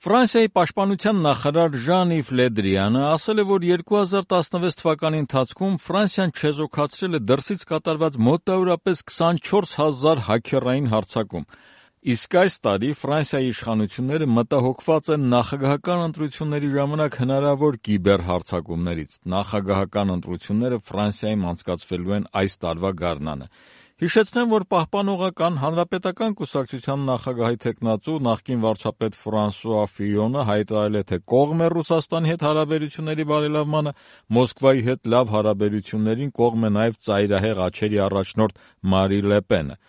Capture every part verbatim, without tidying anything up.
Ֆրանսիայի պաշտպանության նախարար Ժան-Իվ Լե Դրիանը ասել է, որ երկու հազար տասնվեց թվականի ընթացքում Ֆրանսիան չեզոքացրել է դրսից կատարված մոտավորապես քսանչորս հազար հաքերային հարձակում, իսկ այս տարի Ֆրանսիայի իշխանությունները մտահոգված են նախագահական ընտրությունների ժամանակ հնարավոր կիբերհարձակումներից։ Նախագահական ընտրությունները Ֆրանսիայում անցկացվելու են այս տարվա գարնանը։ Հիշեցնեմ, որ Պահպանողական հանրապետական կուսակցության նախագահի թեկնածու նախկին վարչապետ Ֆրանսուଆ Ֆիյոնը հայտարարել է, թե կողմ է Ռուսաստանի հետ հարաբերությունների բարելավմանը, Մոսկվայի հետ լավ հարաբերություններին կողմ է նաև ծայրահեղ աջերի առաջնորդ Մարի Լե Պենը։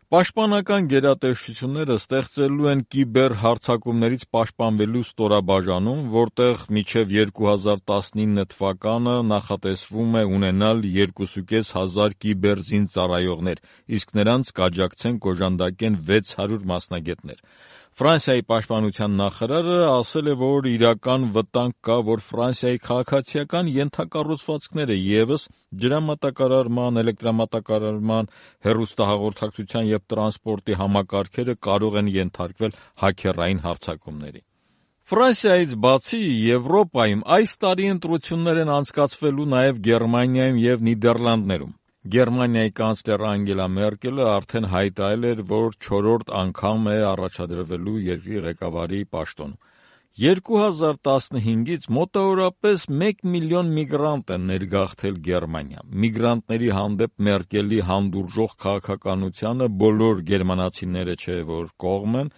Պաշտպանական գերատեսչությունները ստեղծելու են կիբերհարձակումներից պաշտպանվելու ստորաբաժանում, որտեղ մինչև երկու հազար տասնինը թվականը նախատեսվում է ունենալ երկուսուկես հազար կիբերզինծառայողներ, իսկ նրանց կաջակցեն կոժանդակեն վեց հարյուր մասնագետներ։ Ֆրանսիայի պաշտպանության նախարարը ասել է, որ իրական վտանգ կա, որ Ֆրանսիայի քաղաքացիական ենթակառուցվածքները ևս ջրամատակարարման, էլեկտրամատակարարման, հեռուստահաղորդակցության և տրանսպորտի համակարգերը կարող են ենթարկվել հաքերային հարձակումների։ Ֆրանսիայից բացի Եվրոպայում այս տարի ընտրություններ են անցկացվելու նաև Գերմանիայում և Նիդերլանդներում։ Գերմանիայի կանցլեր Անգելա Մերկելը արդեն հայտարարել էր, որ չորրորդ անգամ է առաջադրվելու երկրի ղեկավարի պաշտոն։ երկու հազար տասնհինգից մոտավորապես մեկ միլիոն միգրանտ են ներգաղթել Գերմանիա։ Միգրանտների հանդեպ Մերկելի հանդուրժող քաղաքականությանը բոլոր գերմանացիները չէ, որ կողմ են։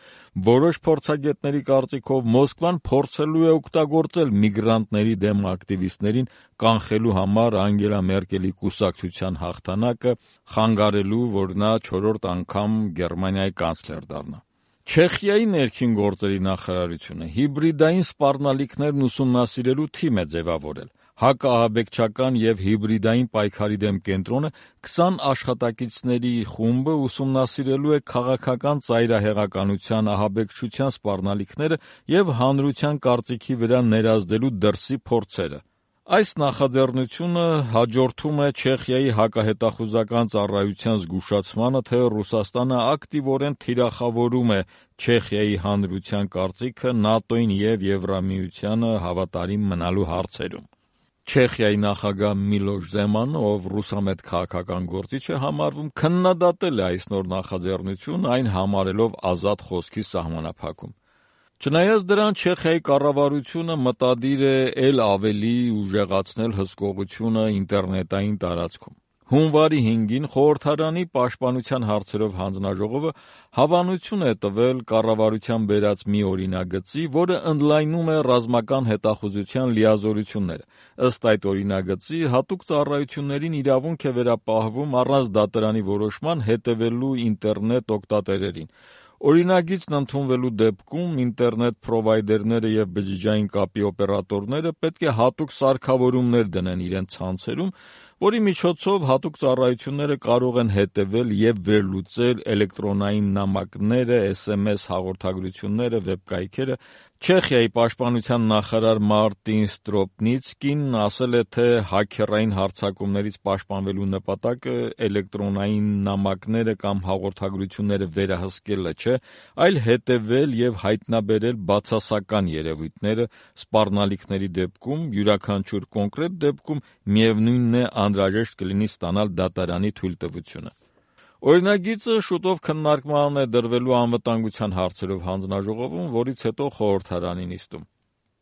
Որոշ փորձագետների կարծիքով Մոսկվան փորձելու է օգտագործել միգրանտների դեմ ակտիվիստներին կանխելու համար Անգելա Մերկելի կուսակցության հաղթանակը, խանգարելու, որ նա չորրորդ անգամ Գերմանիայի կանցլեր դառնա։ Չեխիայի ներքին գործերի նախարարությունը հիբրիդային սպառնալիքներն ուսումնասիրելու թիմ է ձևավորել։ Հակաահաբեկչական և հիբրիդային պայքարի դեմ կենտրոնը քսան աշխատակիցների խումբը ուսումնասիրելու է քաղաքական ծայրահեղականության, ահաբեկչության սպառնալիքները և հանրության կարծիքի վրա ներազդելու դրսի փորձերը։ Այս նախաձեռնությունը հաջորդում է Չեխիայի հակահետախուզական ծառայության զգուշացմանը, թե Ռուսաստանը ակտիվորեն թիրախավորում է Չեխիայի հանրության կարծիքը ՆԱՏՕ-ին և Եվրամիությանը հավատարիմ մնալու հարցերում։ Չեխիայի նախագահ Միլոշ Զեմանը, ով ռուսամետ քաղաքական գործիչ է համարվում, քննադատել է այս նոր նախաձեռնությունը, այն համարելով ազատ խոսքի սահմանափակում։ Չնայած դրան, Չեխիայի կառավարությունը մտադիր է էլ ավելի ուժեղացնել հսկողությունը ինտերնետային տարածքում։ Հունվարի հինգին Խորհրդարանի պաշտպանության հարցերով հանձնաժողովը հավանություն է տվել կառավարության բերած մի օրինագծի, որը ընդլայնում է ռազմական հետախուզության լիազորությունները։ Ըստ այդ օրինագծի, հատուկ ծառայություններին իրավունք է վերապահվում առանց դատարանի որոշման հետևելու ինտերնետ օգտատերերին։ Օրինագիծն ընդունվելու դեպքում ինտերնետ փրովայդերները և բջջային կապի օպերատորները պետք է հատուկ սարքավորումներ դնեն իրենց ցանցերում, որի միջոցով հատուկ ծառայությունները կարող են հետևել և վերլուծել էլեկտրոնային նամակները, էս էմ էս հաղորդագրությունները, վեբկայքերը։ Չեխիայի պաշտպանության նախարար Մարտին Ստրոպնիցկին ասել է, թե հաքերային հարձակումներից պաշտպանվելու նպատակը էլեկտրոնային նամակները կամ հաղորդագրությունները վերահսկելը չէ, այլ հետևել և հայտնաբերել բացասական երևույթները սպառնալիքների դեպքում, յուրաքանչյուր կոնկրետ դեպքում միևնույնն է անհրաժեշտ կլինի ստանալ դատարանի թույլտվությունը։ Օրինագիծը շուտով քննարկման է դրվելու անվտանգության հարցերով հանձնաժողովում, որից հետո խորհրդարանի նիստում։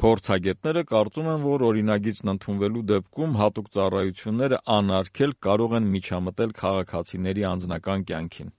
Փորձագետները կարծում են, որ օրինագիծն ընդունվելու դեպքում հատուկ ծառայությունները անարգել կարող են միջամտել քաղաքացիների անձնական կյանքին։